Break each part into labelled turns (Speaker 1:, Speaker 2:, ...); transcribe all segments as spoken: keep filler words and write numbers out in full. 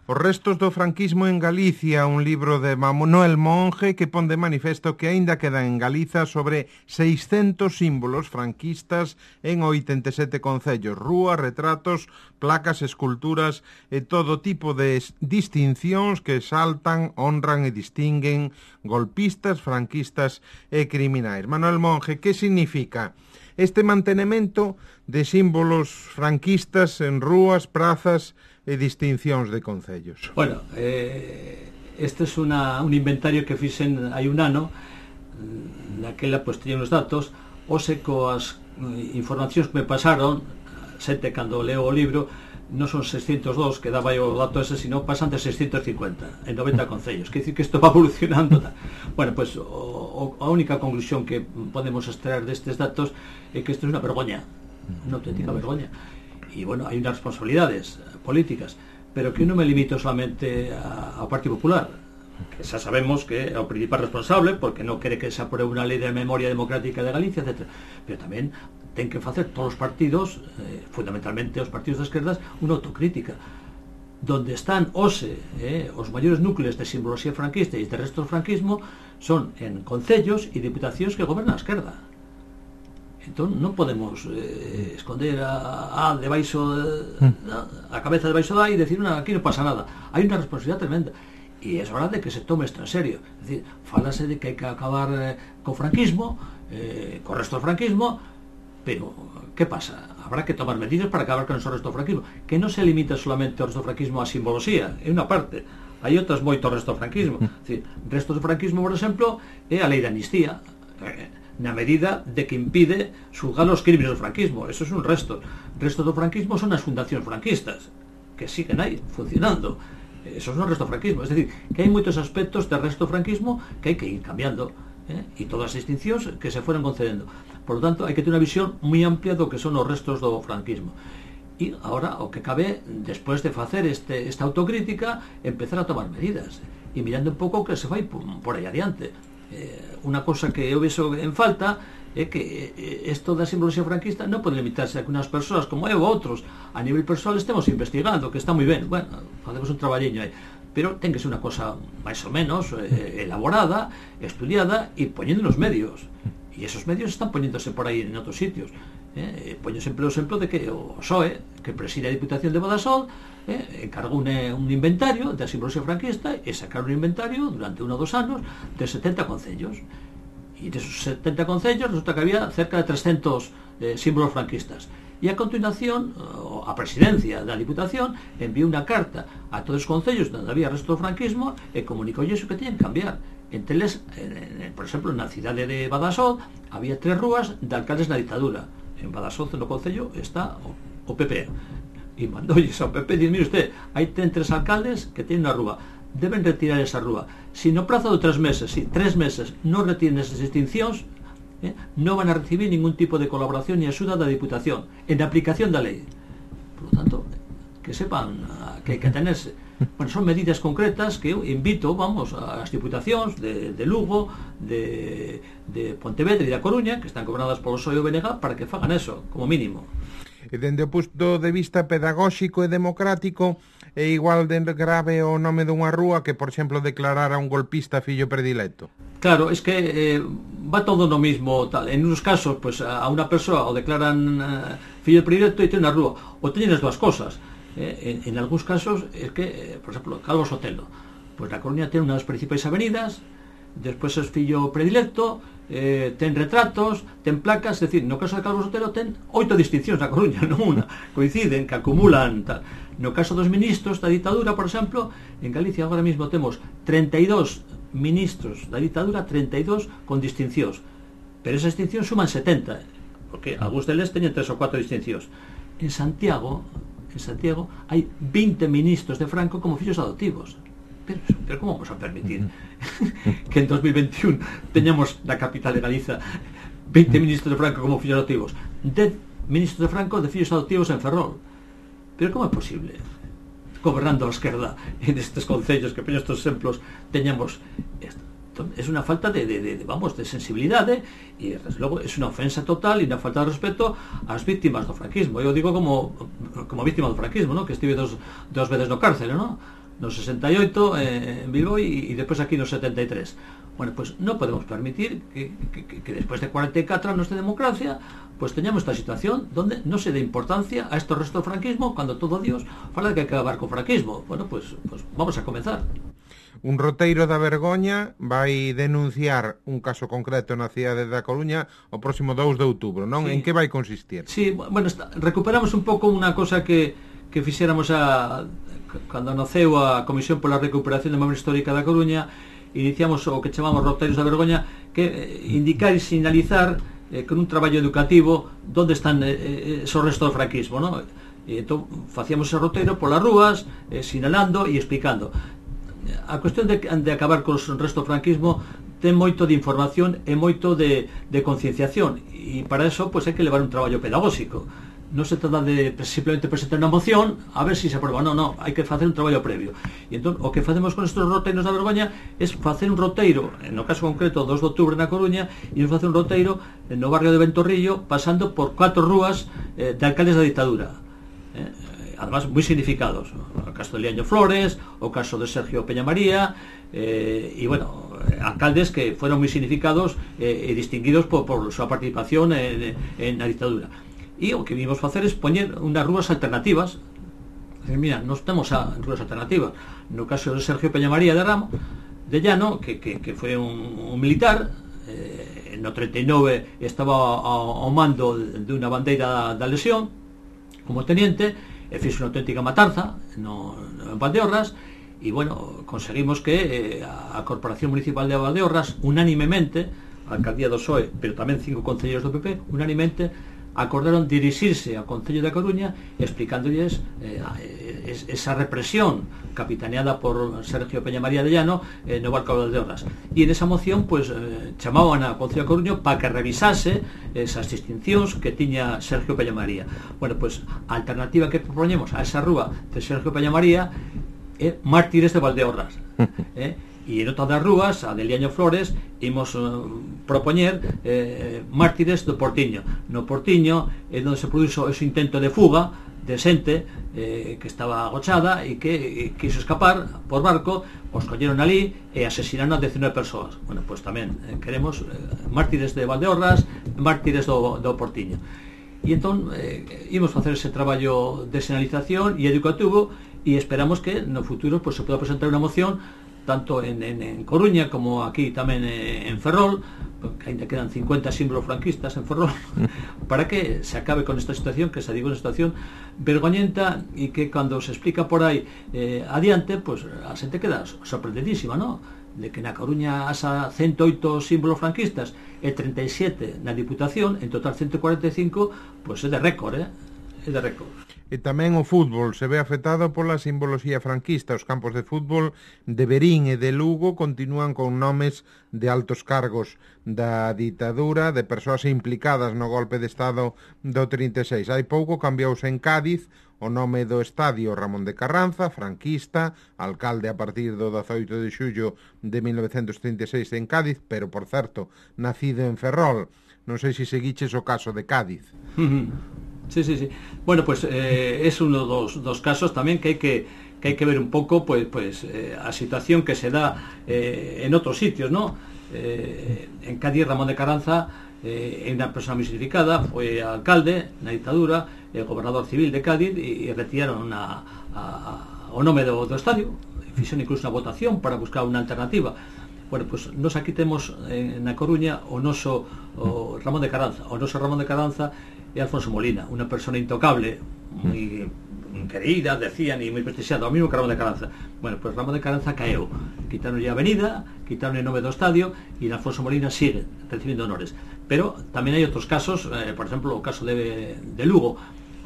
Speaker 1: Os restos do franquismo en Galicia, un libro de Manuel Monge que pon de manifesto que aínda quedan en Galiza sobre seiscentos símbolos franquistas en oitenta e sete concellos, rúas, retratos, placas, esculturas e todo tipo de distincións que exaltan, honran e distinguen golpistas, franquistas e criminais. Manuel Monge, que significa este mantenimento de símbolos franquistas en rúas, prazas e distincións de concellos?
Speaker 2: Bueno, eh, este é una, un inventario que fixen hai un ano. Naquela, pois, teñen os datos, ose coas informacións que me pasaron, sete cando leo o libro, non son seiscentos dos, que daba o dato ese, sino pasan de seiscentos cincuenta en noventa concellos. Quer dicir que isto va evolucionando. Bueno, pois, pues, o, o, a única conclusión que podemos extraer destes datos é que isto é unha vergoña, unha auténtica vergoña. E, bueno, hai unhas responsabilidades políticas, pero que non me limito solamente ao Partido Popular, que xa sabemos que é o principal responsable porque non quere que se apruebe unha lei de memoria democrática de Galicia, etcétera. Pero tamén ten que facer todos os partidos, eh, fundamentalmente os partidos de esquerdas, unha autocrítica donde están ose eh, os maiores núcleos de simbología franquista e de resto do franquismo son en concellos e diputacións que gobernan a esquerda. Entón non podemos eh, esconder a, a debaixo de, a, a cabeza debaixo da e decir, non, aquí non pasa nada. Hai unha responsabilidade tremenda e é hora de que se tome isto en serio. É dicir, falase de que hai que acabar eh, co franquismo, eh, co resto do franquismo, pero que pasa? Habrá que tomar medidas para acabar con o resto do franquismo, que non se limita solamente ao resto do franquismo a simbología, é unha parte. Hai outras moitos resto do franquismo. É dicir, resto do franquismo, por exemplo, é a lei de amnistía, eh, na medida de que impide xulgar os crímenes do franquismo. Eso é un resto. O resto do franquismo son as fundacións franquistas, que siguen aí, funcionando. Eso é un resto do franquismo. Es decir, que hai moitos aspectos do resto do franquismo que hai que ir cambiando, eh? E todas as distincións que se fueron concedendo. Por lo tanto, hai que ter unha visión moi amplia do que son os restos do franquismo. E agora, o que cabe, despois de facer este, esta autocrítica, empezar a tomar medidas. E mirando un pouco o que se vai por, por aí adiante. Eh, unha cosa que eu vexo en falta é que isto da simbología franquista non pode limitarse a que unhas persoas como eu ou outros a nivel persoal estemos investigando, que está moi ben, bueno, facemos un traballiño aí, pero ten que ser unha cosa máis ou menos eh, elaborada, estudiada e poñendo nos medios, e esos medios están poñéndose por aí en outros sitios. Eh, poño sempre o exemplo de que o P S O E, que preside a Diputación de Badaxoz, eh, encargou un, un inventario da simbología franquista e sacaron un inventario durante un ou dos anos de setenta concellos, e desos setenta concellos resulta que había cerca de trescentos eh, símbolos franquistas, e a continuación a presidencia da Diputación enviou unha carta a todos os concellos onde había resto do franquismo e comunicou iso que teñen que cambiar. Entre eles, eh, por exemplo, na cidade de Badaxoz había tres rúas de alcaldes na ditadura. En Badaxoz, no concello, está o, o P P, e mandoulles ao P P, diz, mire usted, hai ten tres alcaldes que tienen unha rúa, deben retirar esa rúa. Si no prazo de tres meses, si tres meses non retiren esas distincións, eh, non van a recibir ningún tipo de colaboración ni axuda da Diputación en aplicación da lei. Por lo tanto, que sepan que hai que tenerse. Bueno, son medidas concretas que eu invito, vamos, ás diputacións de, de Lugo, de, de Pontevedra e da Coruña, que están gobernadas polo P S O E e o B N G, para que fagan eso, como mínimo.
Speaker 1: E dende o punto de vista pedagóxico e democrático, é igual de grave o nome dunha rúa que, por exemplo, declarar a un golpista fillo predilecto?
Speaker 2: Claro, es que eh, va todo no mismo tal. En unos casos, pues a unha persoa o declaran eh, fillo predilecto e ten unha rúa, ou teñen as dúas cosas. Eh, en, en algúns casos es que, eh, por exemplo, Calvo Sotelo, pues na Coruña ten unha das principais avenidas, despois é fillo predilecto, eh, ten retratos, ten placas, é dicir, no caso de Calvo Sotelo ten oito distincións na Coruña, non unha, coinciden, que acumulan tal. No caso dos ministros da ditadura, por exemplo, en Galicia agora mesmo temos treinta e dous ministros da ditadura, treinta e dous con distincións, pero esas distincións suman setenta, porque algúns deles teñen tres ou cuatro distincións. En Santiago, en Santiago hai veinte ministros de Franco como fillos adoptivos. Pero, pero como vamos a permitir que en dos mil veintiún teñamos na capital de Galiza veinte ministros de Franco como fillos adoptivos, dez ministros de Franco de fillos adoptivos en Ferrol? Pero como é posible, gobernando a esquerda en estes concellos, que poño estes exemplos, teñamos esto? Es unha falta de, de, de, vamos, de sensibilidade, e desde logo é unha ofensa total e unha falta de respeto ás víctimas do franquismo. Eu digo como como víctima do franquismo, ¿no? Que estive dos, dos veces no cárcel, ¿no? no sesenta y ocho eh, en Bilbao y, y después aquí no setenta y tres. Bueno, pues no podemos permitir que, que, que después de cuarenta y cuatro años de democracia pues teñamos esta situación donde no se dé importancia a estos restos do franquismo cuando todo Dios fala de que hay que acabar co franquismo. Bueno, pues, pues vamos a comenzar.
Speaker 1: Un roteiro da vergoña vai denunciar un caso concreto na cidade da Coruña o próximo dous de outubro, non? Sí. En que vai consistir?
Speaker 2: Sí, bueno, está, recuperamos un pouco unha cosa que, que fixéramos a, cando naceu a Comisión pola Recuperación da Memoria Histórica da Coruña. Iniciamos o que chamamos roteiros da vergoña, que eh, indicar e sinalizar eh, con un traballo educativo onde están eh, esos restos do franquismo, ¿no? E entón facíamos ese roteiro polas rúas, eh, sinalando e explicando. A cuestión de, de acabar cos restos do franquismo ten moito de información e moito de, de concienciación, e para eso pues, hai que levar un traballo pedagógico. Non se trata de simplemente presentar unha moción a ver se si se aprueba, non, non, hai que facer un traballo previo. E entón, o que facemos con estes roteiros da vergoña é facer un roteiro, no caso concreto dos de outubro na Coruña, e nos facer un roteiro no barrio de Ventorrillo, pasando por cuatro rúas eh, de alcaldes da ditadura, eh, además moi significados, o caso de Liaño Flores, o caso de Sergio Peñamaría, eh, e bueno, alcaldes que fueron moi significados eh, e distinguidos por, por súa participación en, en a ditadura. E o que vimos facer es poñer unhas rúas alternativas. Mira, nos temos a rúas alternativas. No caso de Sergio Peñamaría de Ramo, de Llano, que, que, que foi un, un militar, eh, no treinta y nove estaba ao, ao mando de unha bandeira da lesión, como teniente, e fixe unha auténtica matanza no, no, en Valdeorras, e bueno, conseguimos que eh, a Corporación Municipal de Valdeorras, unánimemente, a Alcaldía do P S O E, pero tamén cinco concelleiros do P P, unánimemente acordaron dirixirse ao Concello da Coruña explicándolles eh, esa represión capitaneada por Sergio Peñamaría de Llano eh, no barco de Valdeorras. E en esa moción pues, eh, chamaban ao Concello da Coruña para que revisase esas distincións que tiña Sergio Peñamaría. Bueno, pues a alternativa que propoñemos a esa rúa de Sergio Peñamaría é Mártires de Valdeorras. eh? E en outras das rúas, a de Liaño Flores, imos uh, propoñer eh, Mártires do Portiño. No Portiño é onde se produxo ese intento de fuga de xente eh, que estaba agochada e que e, quiso escapar por barco, os colleron ali e asesinaron a diecinueve persoas. Bueno, pois pues tamén eh, queremos eh, Mártires de Valdeorras, Mártires do, do Portiño. E entón eh, imos facer ese traballo de señalización e educativo e esperamos que no futuro pues, se poda presentar unha moción tanto en, en, en Coruña como aquí tamén en Ferrol, que ainda quedan cincuenta símbolos franquistas en Ferrol, para que se acabe con esta situación, que se diga unha situación vergoñenta e que cando se explica por aí eh, adiante, pues a xente queda sorprendidísima, ¿no? De que na Coruña hasa ciento oito símbolos franquistas e treinta y siete na Diputación, en total ciento cuarenta y cinco, pues é de récord, eh? É de récord.
Speaker 1: E tamén o fútbol se ve afectado pola simboloxía franquista. Os campos de fútbol de Verín e de Lugo continúan con nomes de altos cargos da ditadura, de persoas implicadas no golpe de Estado do trinta e seis. Hai pouco cambiouse en Cádiz o nome do estadio Ramón de Carranza, franquista, alcalde a partir do dezoito de xullo de mil novecentos trinta e seis en Cádiz, pero, por certo, nacido en Ferrol. Non sei se seguiches o caso de Cádiz.
Speaker 2: Sí, sí, sí. Bueno, pues eh, es uno dos, dos casos también que hay que, que hay que ver un poco pues, pues eh, a situación que se da eh, en otros sitios, ¿no? Eh, en Cádiz, Ramón de Carranza eh, é unha persona muy significada, foi alcalde na ditadura, el gobernador civil de Cádiz, e, e retiraron a, a, a, o nome do, do estadio, fixeron incluso unha votación para buscar unha alternativa. Bueno, pues nos aquí temos eh, na Coruña o noso o Ramón de Carranza. O noso Ramón de Carranza é Alfonso Molina, unha persona intocable, moi querida, decían, e moi prestixiada, o mismo que Ramón de Carranza. Bueno, pues Ramón de Carranza caeu, quitaron a avenida, quitaron o nome do estadio, e Alfonso Molina sigue recibindo honores. Pero tamén hai outros casos, eh, por exemplo, o caso de, de Lugo,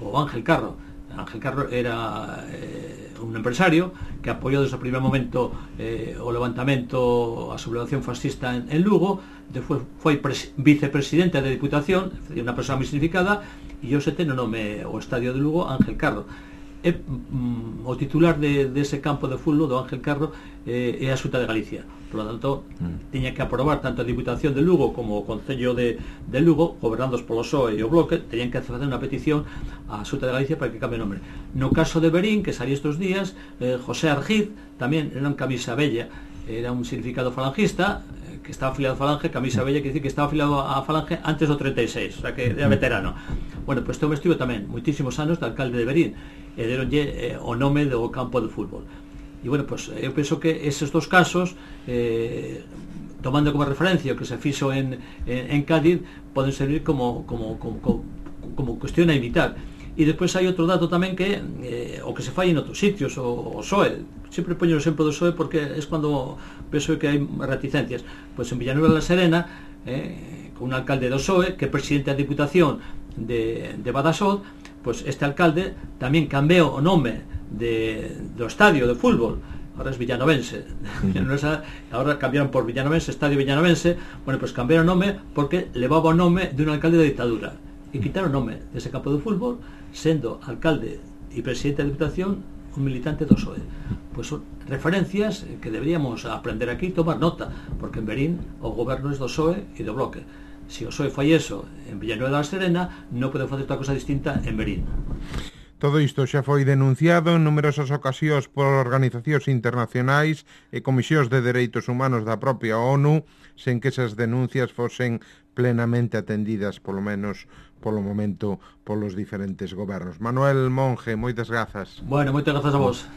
Speaker 2: o Ángel Carro. Ángel Carro era eh, un empresario que apoiou desde o primer momento eh, o levantamento, a sublevación fascista en, en Lugo, despois foi vicepresidente da Diputación, unha persona moi significada, e hoxe ten o nome o estadio de Lugo Ángel Carro. é mm, o titular de, de ese campo de fútbol do Ángel Carro eh, é a Xunta de Galicia. Por lo tanto, mm. tiña que aprobar tanto a Diputación de Lugo como o Concello de, de Lugo, gobernados polo P S O E e o Bloque, tenían que facer unha petición á Xunta de Galicia para que cambie o nome. No caso de Verín, que salía estes días, eh, José Argiz tamén era un camisa bella, era un significado falangista, que estaba afiliado a Falange, camisa bella, que decir que estaba afiliado a Falange antes do treinta e seis, o sea que era veterano. Bueno, pois pues, este estivo tamén moitísimos anos de alcalde de Verín, e deronlle eh, o nome do campo de fútbol. E bueno, pois pues, eu penso que esos dos casos, eh, tomando como referencia o que se fixo en, en, en Cádiz, poden servir como, como, como, como, como cuestión a imitar. E despois hai outro dato tamén que eh, o que se fai en outros sitios, o, o P S O E, sempre poño o exemplo do P S O E porque é cando penso que hai reticencias. Pois en Villanueva de la Serena, eh, con un alcalde do P S O E que é presidente da Diputación de, de Badaxoz, pois este alcalde tamén cambiou o nome de, do estadio de fútbol, ahora es Villanovense, ahora cambiaron por Villanovense, Estadio Villanovense. Bueno, pois cambiaron o nome porque levaba o nome de un alcalde de dictadura e quitaron o nome dese campo de fútbol, sendo alcalde e presidente da Diputación un militante do P S O E. Pois son referencias que deberíamos aprender aquí e tomar nota, porque en Verín o goberno é do P S O E e do Bloque. Se o P S O E fai eso en Villanueva da Serena, non pode facer outra cosa distinta en Verín.
Speaker 1: Todo isto xa foi denunciado en numerosas ocasións por organizacións internacionais e comisións de dereitos humanos da propia ONU, sen que esas denuncias fosen plenamente atendidas, polo menos polo momento, polos diferentes gobernos. Manuel Monge, moitas grazas.
Speaker 2: Bueno, moitas grazas a vos.